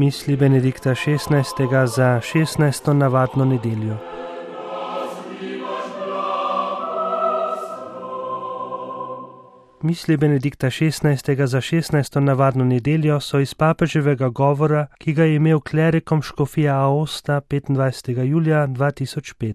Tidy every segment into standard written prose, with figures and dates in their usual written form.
Misli Benedikta XVI. Za 16. navadno nedeljo. Misli Benedikta XVI. Za 16. navadno nedeljo so iz papeževega govora, ki ga je imel klerikom škofija Aosta 25. julija 2005.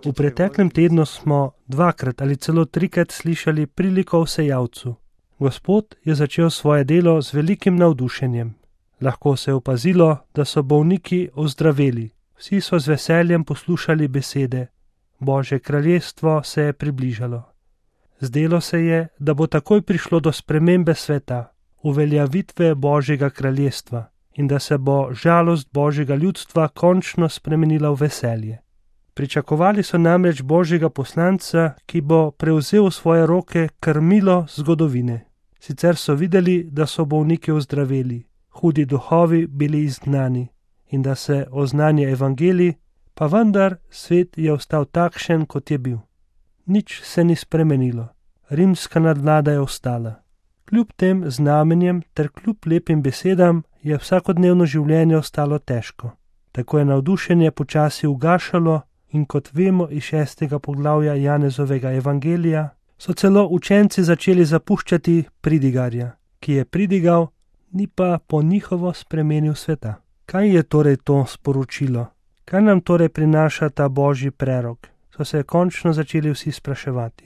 V preteklem tednu smo dvakrat ali celo trikrat slišali priliko o sejavcu. Gospod je začel svoje delo z velikim navdušenjem. Lahko se je opazilo, da so bolniki ozdraveli. Vsi so z veseljem poslušali besede. Božje kraljestvo se je približalo. Zdelo se je, da bo takoj prišlo do spremembe sveta, uveljavitve Božjega kraljestva in da se bo žalost Božjega ljudstva končno spremenila v veselje. Pričakovali so namreč Božjega poslanca, ki bo prevzel v svoje roke krmilo zgodovine. Sicer so videli, da so bolniki ozdraveli, hudi duhovi bili izgnani in da se oznanja evangelij, pa vendar svet je ostal takšen, kot je bil. Nič se ni spremenilo, rimska nadvlada je ostala. Kljub tem znamenjem ter kljub lepim besedam je vsakodnevno življenje ostalo težko. Tako je navdušenje počasi ugašalo in kot vemo iz 6. poglavja Janezovega evangelija, so celo učenci začeli zapuščati pridigarja, ki je pridigal, ni pa po njihovo spremenil sveta. Kaj je torej to sporočilo? Kaj nam torej prinaša ta božji prerok? So se končno začeli vsi spraševati.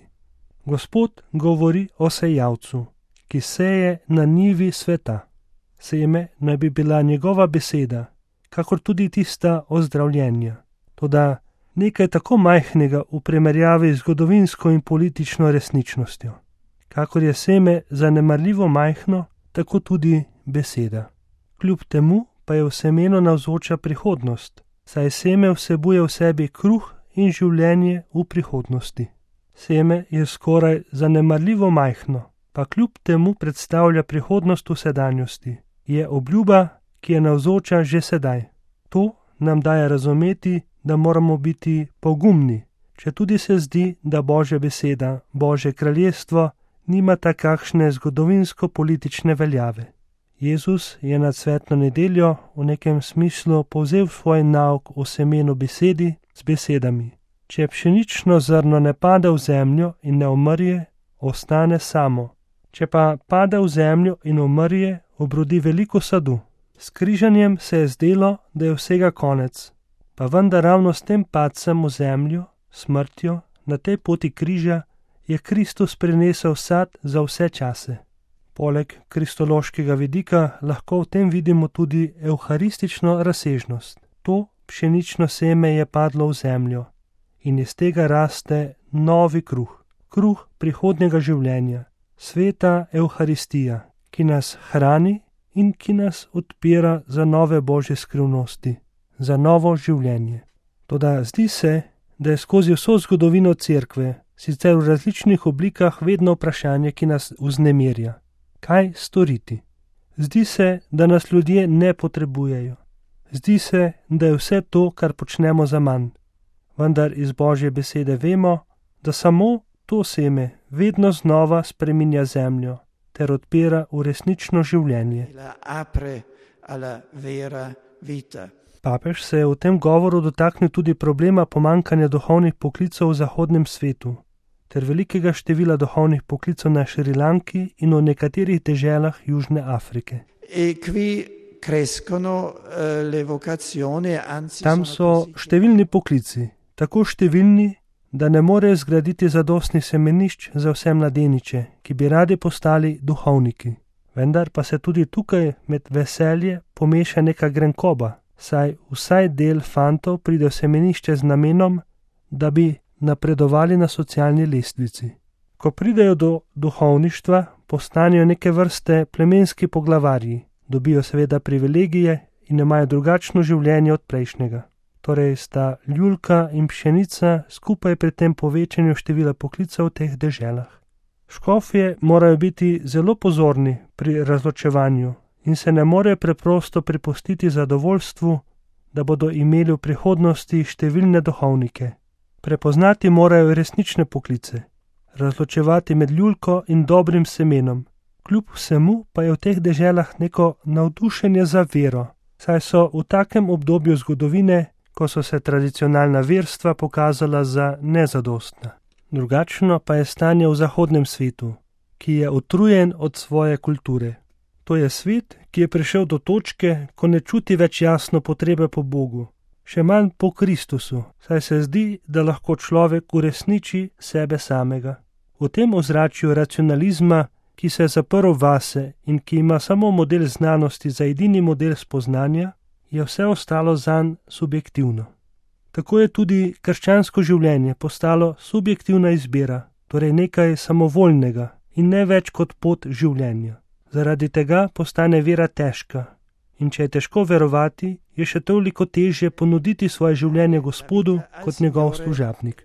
Gospod govori o sejavcu, ki seje na njivi sveta. Seme naj bi bila njegova beseda, kakor tudi tista ozdravljenja. Toda nekaj tako majhnega v primerjavi z zgodovinsko in politično resničnostjo. Kakor je seme zanemarljivo majhno, tako tudi beseda. Kljub temu pa je v semenu navzoča prihodnost, saj seme vsebuje v sebi kruh in življenje v prihodnosti. Seme je skoraj zanemarljivo majhno, pa kljub temu predstavlja prihodnost v sedanjosti. Je obljuba, ki je navzoča že sedaj. To nam daje razumeti, da moramo biti pogumni, če tudi se zdi, da Božja beseda, Božje kraljestvo, nima takšne zgodovinsko-politične veljave. Jezus je nad svetlo nedeljo v nekem smislu povzel svoj nauk o semenu besedi z besedami. Če pšenično zrno ne pade v zemljo in ne umrje, ostane samo. Če pa pade v zemljo in umrje, obrodi veliko sadu. S križanjem se je zdelo, da je vsega konec, pa vendar ravno s tem padcem v zemljo, smrtjo, na tej poti križa, je Kristus prinesel sad za vse čase. Poleg kristološkega vidika lahko v tem vidimo tudi evharistično razsežnost. To pšenično seme je padlo v zemljo in iz tega raste novi kruh, kruh prihodnjega življenja, sveta evharistija, ki nas hrani in ki nas odpira za nove božje skrivnosti, za novo življenje. Toda zdi se, da je skozi vso zgodovino cerkve, sicer v različnih oblikah, vedno vprašanje, ki nas vznemirja. Kaj storiti? Zdi se, da nas ljudje ne potrebujejo. Zdi se, da je vse to, kar počnemo, za manj. Vendar iz Božje besede vemo, da samo to seme vedno znova spreminja zemljo ter odpira v resnično življenje. Papež se je v tem govoru dotaknil tudi problema pomanjkanja duhovnih poklicev v zahodnem svetu ter velikega števila duhovnih poklicev na Šrilanki in v nekaterih deželah Južne Afrike. Tam so številni poklici, tako številni, da ne morejo zgraditi zadostnih semenišč za vse mladeniče, ki bi radi postali duhovniki. Vendar pa se tudi tukaj med veselje pomeša neka grenkoba, saj vsaj del fantov pride v semenišče z namenom, da bi napredovali na socialni lestvici. Ko pridejo do duhovništva, postanejo neke vrste plemenski poglavarji, dobijo seveda privilegije in imajo drugačno življenje od prejšnjega. Torej sta ljulka in pšenica skupaj pri tem povečanju števila poklicev v teh deželah. Škofje morajo biti zelo pozorni pri razločevanju in se ne morejo preprosto prepustiti zadovoljstvu, da bodo imeli v prihodnosti številne duhovnike. Prepoznati morajo resnične poklice, razločevati med ljulko in dobrim semenom, Kljub vsemu pa je v teh deželah neko navdušenje za vero, saj so v takem obdobju zgodovine, ko so se tradicionalna verstva pokazala za nezadostna. Drugačno pa je stanje v zahodnem svetu, ki je utrujen od svoje kulture. To je svet, ki je prišel do točke, ko ne čuti več jasno potrebe po Bogu, še manj po Kristusu, saj se zdi, da lahko človek uresniči sebe samega. V tem ozračju racionalizma, ki se je zaprl vase in ki ima samo model znanosti za edini model spoznanja, je vse ostalo zanj subjektivno. Tako je tudi krščansko življenje postalo subjektivna izbira, torej nekaj samovoljnega in ne več kot pot življenja. Zaradi tega postane vera težka in če je težko verovati, je še toliko težje ponuditi svoje življenje Gospodu kot njegov služabnik.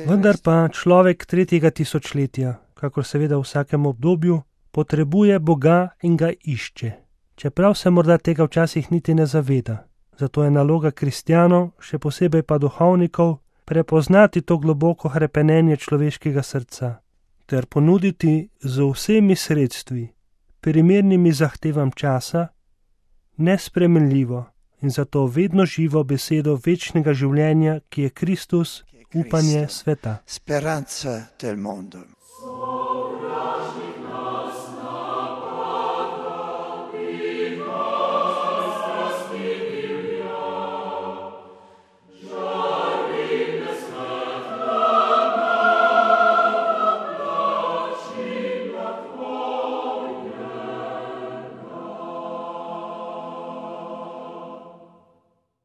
Vendar pa človek 3. tisočletja, kakor seveda v vsakem obdobju, potrebuje Boga in ga išče. Čeprav se morda tega včasih niti ne zaveda. Zato je naloga kristjanov, še posebej pa duhovnikov, prepoznati to globoko hrepenenje človeškega srca ter ponuditi z vsemi sredstvi, primernimi zahtevam časa, nespremenljivo in zato vedno živo besedo večnega življenja, ki je Kristus, upanje sveta.